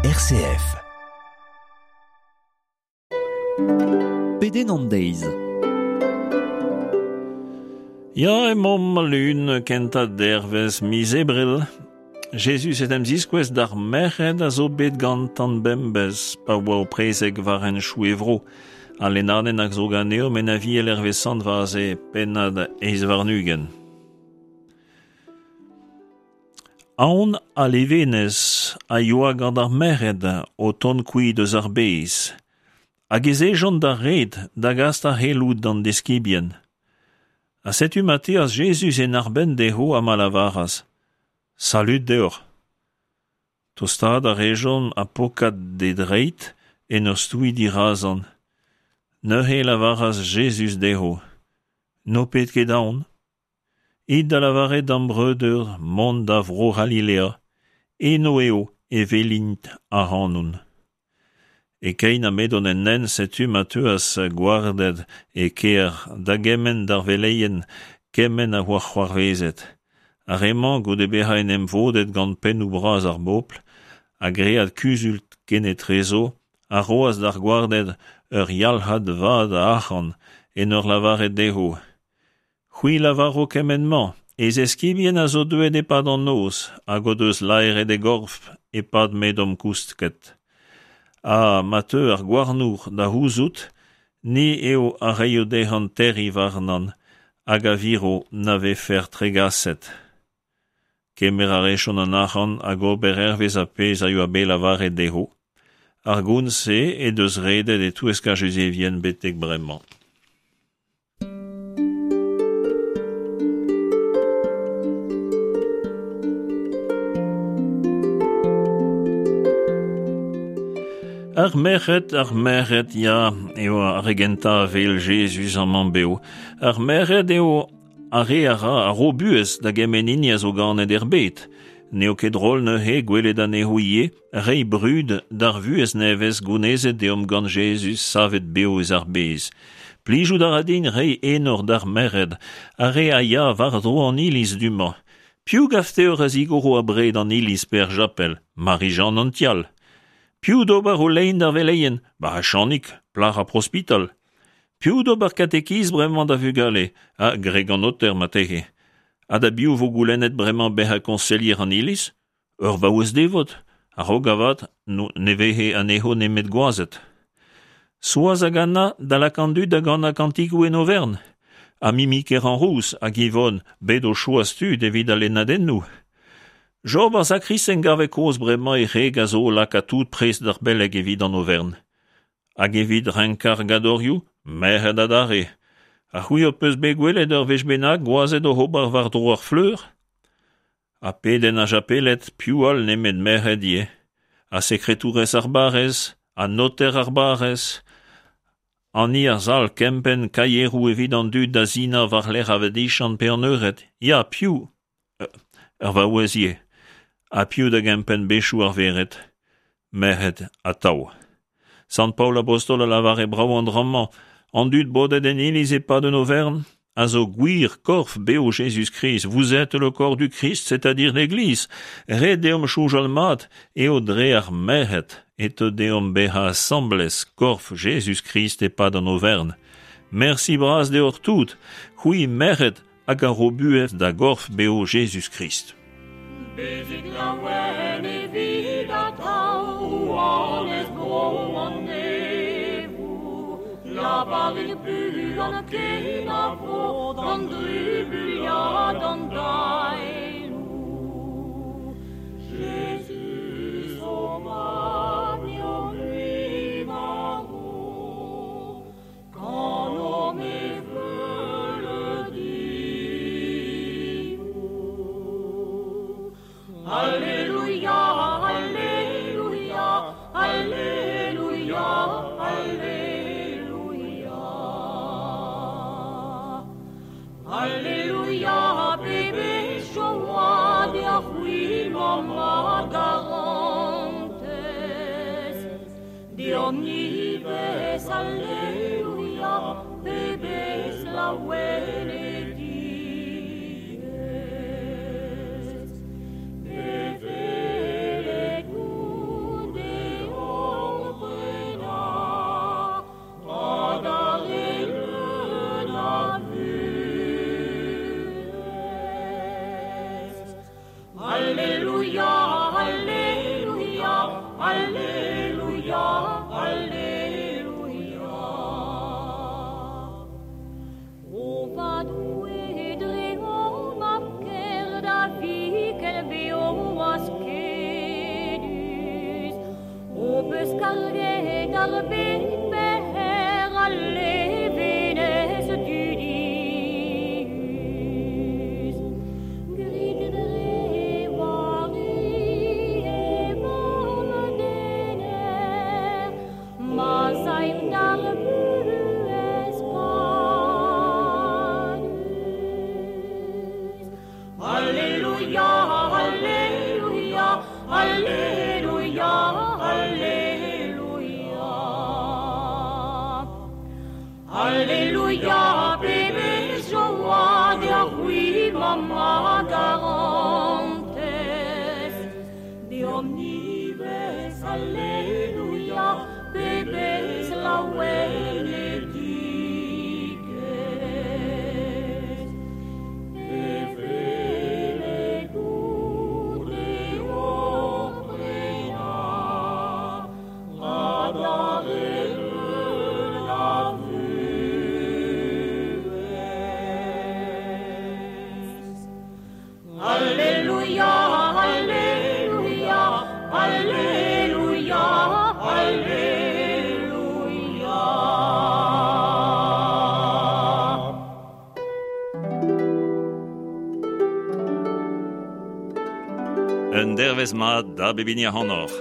RCF. Pedenn an deiz. Ya, emaomp al lun kentañ dervezh miz Ebrel. Jezuz en em ziskouez d'ar merc'hed a zo bet gantan bembez pa oa o prezeg war henchoù e vro. Al lennadenn a zo ganeomp en Aviel hervez Sant Vaze, pennad eizh warn-ugent. Aon ha levenez a yoa gant ar merc'hed o tont kuit eus ar bez, hag ez ejont d'ar red da gas ar c'heloù d'an deskibien. Ha setu ma teas Jezuz en arbenn dezho ha ma lavaras: Salud deoc'h! Tostaat a rejont ha pokat d'e dreid en ur stouiñ dirazan. Neuze e lavaras Jezuz dezho: N'ho pet ket aon. It da lavaret d'am breudeur mont da Vro-C'halilea, eno eo e welint ac'hanon. E-keit ha m'edont en hent setu ma teuas gwarded e kêr da gemenn d'ar veleien kement a oa c'hoarvezet. Ar re-mañ, goude bezañ en em vodet gant pennoù bras ar bobl ha graet kuzul kenetrezo, a roas d'ar gwarded ur yalc'had vat a arc'hant en ur lavaret dezho: C'hwi lavaro kement-mañ, e zeskibien a zo deuet e-pad an noz hag o deus laeret e gorf e-pad m'edomp kousket. Ha ma teu ar gouarnour da c'houzout, ni eo a reio dezhañ terriñ warnan hag a viro na vefer tregaset. Kemer a rejont an arc'hant hag ober hervez ar pezh a yoa bet lavaret dezho. Ar gont-se he deus redet e-touesk ar Juzevien betek bremañ. Ar merc'hed, ar merc'hed, ya, eo ar re gentañ a wel Jezuz amañ bev. Ar merc'hed eo ar re a ra a ro buhez da gement hini a zo ganet er bed. N'eo ket drol neuze gwelet anezho ivez reiñ brud d'ar vuhez nevez gounezet deomp gant Jezuz savet bev eus ar bez. Plijout a ra din reiñ enor d'ar merc'hed, ar re a ya war-dro an iliz du-mañ. Piv 'gav deoc'h a zigoro abred an iliz pe ar chapel? Mari-Jann an Tial. Piv d'ober o lein d'ar veleien? Ba Chanig, plac'h ar prospital. Piv d'ober katekiz bremañ da vugale? Ha gwreg an noter marteze. Ha da biv 'vo goulennet bremañ bezañ koñselier an iliz? Ur vaouez devot, a-raok avat ne veze anezho nemet gwazed. Soaz hag Anna da lakaat an dud da ganañ kantikoù en overn. Ha Mimi Keranrouz hag Yvonne bet o choaz tud evit al lennadennoù. Job ar sakristen 'gave kozh bremañ e wreg a zo o lakaat tout prest d'ar beleg evit an overn. Hag evit renkañ ar gadorioù, merc'hed adarre. Ha c'hwi ho peus bet gwelet ur wech bennak gwazed oc'h ober war-dro ar fleur? Ha pedenn ar japeled, piv all nemet merc'hed ivez? Ha sekretourez ar barrez, ha noter ar barrez, hani ar sal kempenn kaieroù evit an dud da sinañ war-lerc'h ar vadiziant pe an eured. Ya, piv? Ur vaouez ivez. Ha piv da gempenn bezioù ar vered? Merc'hed atav. Sant Paol Abostol a lavare brav an dra-mañ, an dud bodet en iliz e-pad un overn a zo gwir korf bev Jezuz-Krist. Vous êtes le corps du Christ, c'est-à-dire l'Église. Ret deomp soñjal mat eo dre ar merc'hed e teu deomp bezañ asambles korf Jezuz-Krist e-pad an overn. Mersi bras deoc'h tout, c'hwi merc'hed hag a ro buhez da gorf bev Jezuz-Krist. Bezit laouen evit atav, rouanez bro an neñvoù. Lavarit buan kenavo d'an drubuilh ha d'an daeloù. Jezuz ho mab n'eo mui marv. Kanomp e veuleudioù. Alleluia, alleluia, alleluia, alleluia. Alleluia, pebezh joa deoc'h-c'hwi, mamm a garantez. Deomp ivez, alleluia, pebezh laouenedigezh. Bevelet goude d'ar bed berr al levenez dudius. Grit dre Vari he Vamm dener, ma'z aimp d'ar vuhez padus. Alleluia, alleluia, alleluia, alleluia. Alleluia, pebezh joa deoc'h-c'hwi, Mamm a garantez. Deomp ivez, alleluia, pebezh laouenedigezh. Evel goude hor prenañ adarre leun a vuhez. Alleluia, alleluia, alleluia, alleluia. Un dervezh mat da bep hini ac'hanoc'h.